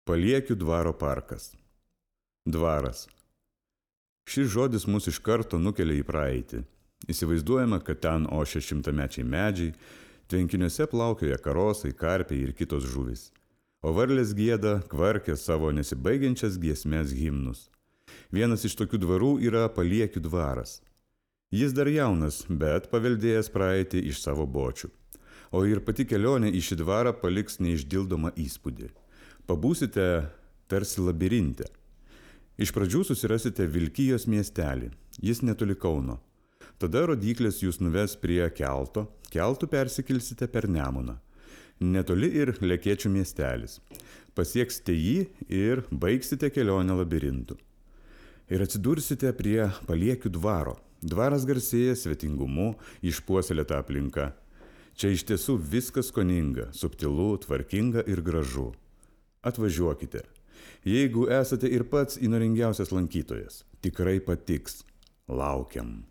Paliekių dvaro parkas. Dvaras. Šis žodis mus iš karto nukelia į praeitį. Įsivaizduojama, kad ten ošia šimtamečiai medžiai, tvenkiniuose plaukioja karosai, karpiai ir kitos žuvys. O varlės gieda, kvarkia savo nesibaigiančias giesmes himnus. Vienas iš tokių dvarų yra Paliekių dvaras. Jis dar jaunas, bet paveldėjęs praeitį iš savo bočių. O ir pati kelionė į šį dvarą paliks neišdildomą įspūdį. Pabūsite tarsi labirinte. Iš pradžių susirasite Vilkijos miestelį, jis netoli Kauno. Tada rodyklės jūs nuves prie kelto, keltu persikelsite per Nemuną. Netoli ir Lekėčių miestelis. Pasieksite jį ir baigsite kelionę labirintu. Ir atsidursite prie Paliekių dvaro. Dvaras garsėja svetingumu, išpuoselėta aplinka. Čia iš tiesų viskas skoninga, subtilu, tvarkinga ir gražu. Atvažiuokite. Jeigu esate ir pats įnoringiausias lankytojas, tikrai patiks. Laukiam.